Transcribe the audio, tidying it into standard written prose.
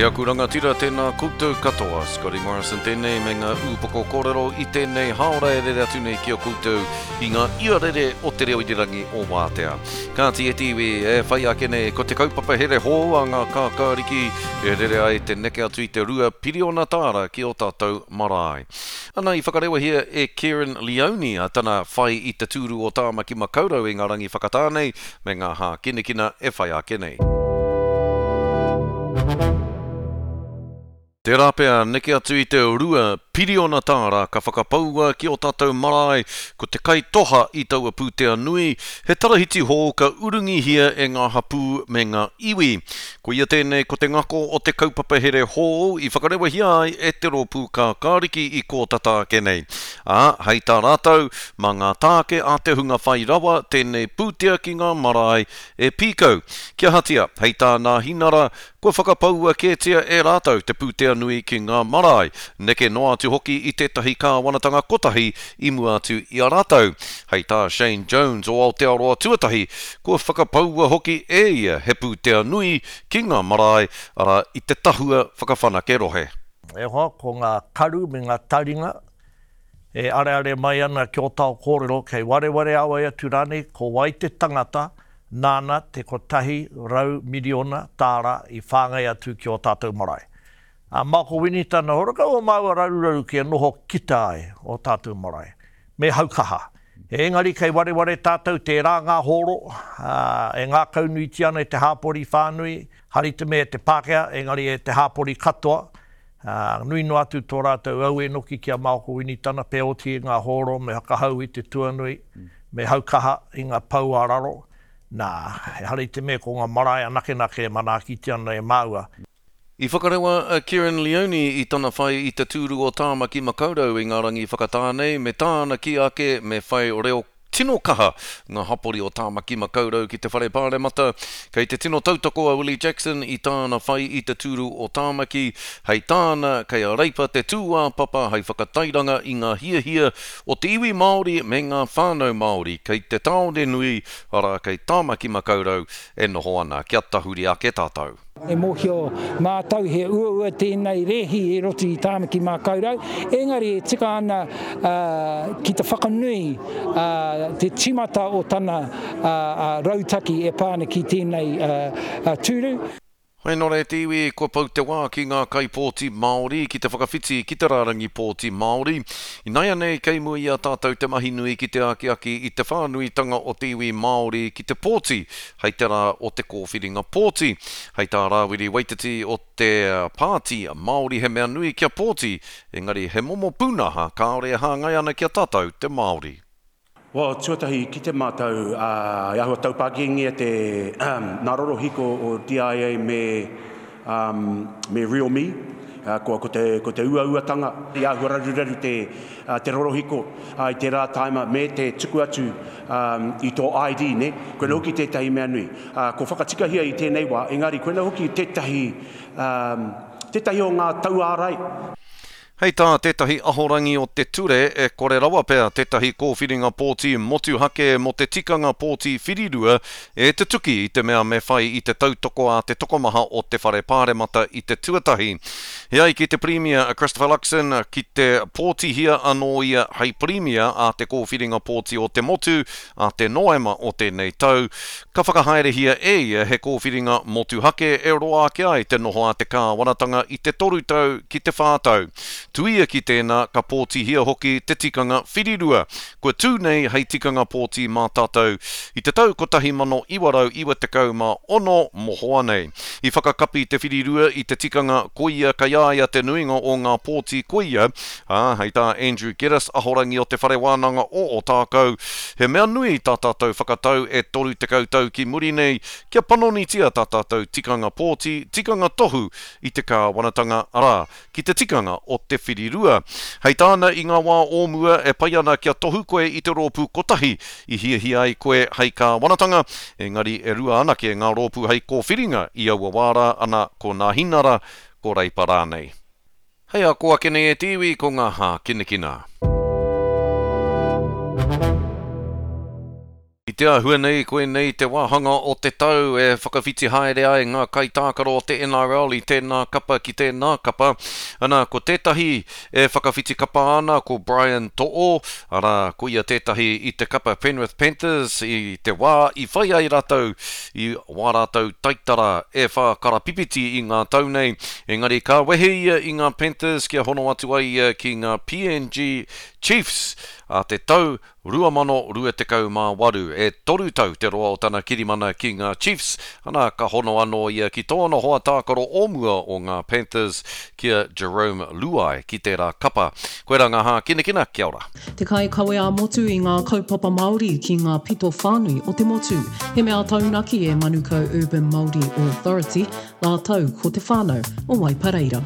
aku rangatira, tēnā koutou katoa. Scotty Morrison tēnei me ngā ūpoko kōrero i tēnei hāora e rere atu nei ki a koutou i ngā iarere o te reo irirangi o Wātea. Kāti e te iwi, e whai ake nei ko te kaupapa here hou a ngā kākāriki e rere ai te neke atu i te 2 piriona tāra ki ō tātou marae. Ana i whakarewahia e Kerrin Leoni a tana whai i te tūru o Tāmaki Makaurau i ngā rangi whakatā nei me ngā hākinakina e whai ake nei. Tērā pea neke atu i te 2 piriona tāra ka whakapaua ki ō tātou marae, ko te kaitoha i taua pūtea nui, he tarahiti hou ka urungihia e ngā hapū me ngā iwi. Koia tēnei ko te ngako o te kaupapa here hou i whakarewahia ai e te Rōpū Kākāriki i kō tata ake nei. Ā, hei tā rātou, mā ngā tāke a te hunga whai rawa tēnei pūtea ki ngā marae e pīkau. Kia ahatia, hei tā Nāhinara, kua whakapaua kētia e rātou te pūtea nui ki ngā marae, neke noa atu hoki i tētahi kāwanatanga kotahi i mua atu i a rātou. Hei tā Shane Jones o Aotearoa Tuatahi, Kua whakapaua hoki e ia he pūtea nui ki ngā marae, arā, i te Tahua Whakawhanake Rohe. E hoa, ko ngā karu me ngā taringa e areare mai ana ki ō tao kōrero, kei wareware a wai atu rānei ko wai te tangata nāna te 100 miriona tāra i whāngai atu ki ō tātou marae. Ā, mā ko Winitana Horakau o māua raruraru kia noho kita ai ō tātou marae. Me haukaha. Engari kei wareware tātou tērā ngā hōro, ā, e ngākaunuitia ana e te hāpori whānui, hari te mea e te Pākehā, engari e te hāpori katoa, ā, nui noa atu tō rātou auē noki ki a Maoko Winitana, pē oti i ngā hōro me whakahau i te tuanui, me haukaha i ngā pou ā raro, nā, ehara i te mea ko ngā marae anakenake e manaakitia ana e māua. I whakarewa a Kerrin Leoni i tana whai i te tūru o Tāmaki Makaurau i ngā rangi whakatā nei, me tāna kī ake me whai reo tino kaha ngā hapori o Tāmaki Makaurau ki te Whare Pāremata. Kei te tino tautoko a Willie Jackson i tāna whai i te tūru o Tāmaki, hei tāna, kei a Reipa te tūāpapa hei whakatairanga i ngā hiahia o te iwi Māori me ngā whānau Māori kei te tāone nui, arā, kei Tāmaki Makaurau e noho ana. Kia tahuri ake tātou. E mōhio mātou he uaua tēnei rēhi i roto i Tāmaki Mākaurau, engari e tika ana ki te whakanui te tīmata o tana rautaki e pā ana ki tēnei tūru. Hei nō te iwi, kua pau te wā ki ngā kaipōti Māori ki te whakawhiti ki te rārangi pōti Māori. Inaianei kei mua i a tātou te mahi nui ki te akiaki i te whānuitanga o te iwi Māori ki te pōti hei te rā o te kōwhiringa pōti. Hei tā Rāwiri Waititi o te Pāti Māori he mea nui kia pōti, engari he momo pūnaha kāore e hāngai ana ki a tātou te Māori. Well, tuatahi i kite mātou, ā, i āhua taupākingia te, nā rorohiko o DIA me, me RealMe, kua, ko te, ko te uauatanga, i āhua raruraru te, te rorohiko, ā, i tērā tāima me te tuku atu, i tō ID, nē? Koinā hoki tētahi mea nui. Ā, kua whakatikahia i tēnei wā, engari koinā hoki tētahi, tētahi o ngā tauārai. Hei tā tētahi ahorangi o te ture, e kore rawa pea tētahi kōwhiringa pōti motuhake mō te tikanga pōti whirirua e tutuki i te mea me whai i te tautoko a te tokomaha o te Whare Pāremata i te tuatahi. E ai ki te Pirimia a Christopher Luxon, ki te pōtihia anō ia hei Pirimia a te kōwhiringa pōti o te motu a te Noema o tēnei tau, ka whakahaerehia e ia he kōwhiringa motuhake e roa ake ai te noho a te kāwanatanga i te toru tau ki te whā tau. Tuia ki tēnā, ka pōtihia hoki te tikanga whirirua, kua tū nei hei tikanga pōti mā tātou i te tau 1996 mohoa nei. I whakakapi te whirirua i te tikanga koia kei a ia te nuinga o ngā pōti koia, ā, hei tā Andrew Geddis, ahorangi o Te Whare Wānanga o Ōtākou, he mea nui tā tātou whakatau e 30 tau ki muri nei kia panonitia tā tātou tikanga pōti, tikanga tohu i te kāwanatanga, arā, ki te tikanga o te whirirua. Hei tāna i ngā wā o mua e pai ana kia tohu koe i te rōpū kotahi i hiahia ai koe hei kāwanatanga, engari e rua anake ngā rōpū hei kōwhiringa i aua wā rā, ana ko Nāhinara, ko Reipa rānei. Hei ako ake nei e te iwi ko ngā hākinakina. I te āhua nei, koinei te wāhanga o te tau e whakawhiti haere ai ngā kaitākaro o te NRL i tēnā kapa ki tēnā kapa. Ana, ko tētahi e whakawhiti kapa ana ko Brian To'o, arā, ko ia tētahi i te kapa Penrith Panthers i te wā i whai ai rātou i wā rātou taitara e whā karapipiti i ngā tau nei, engari ka wehe ia i ngā Panthers kia hono atu ai ia ki ngā PNG Chiefs ā te tau 2028. E toru tau te roa o tana kirimana ki ngā Chiefs, ana ka hono anō ia ki tōna hoa tākaro o mua o ngā Panthers, ki a Jarome Luai ki tērā kapa. Koirā ngā hākinakina, kia ora. Te kaikawe ā-motu i ngā kaupapa Māori ki ngā pito whānui o te motu. He mea taunaki e Manukau Urban Māori Authority rātou ko te whānau o Waipareira.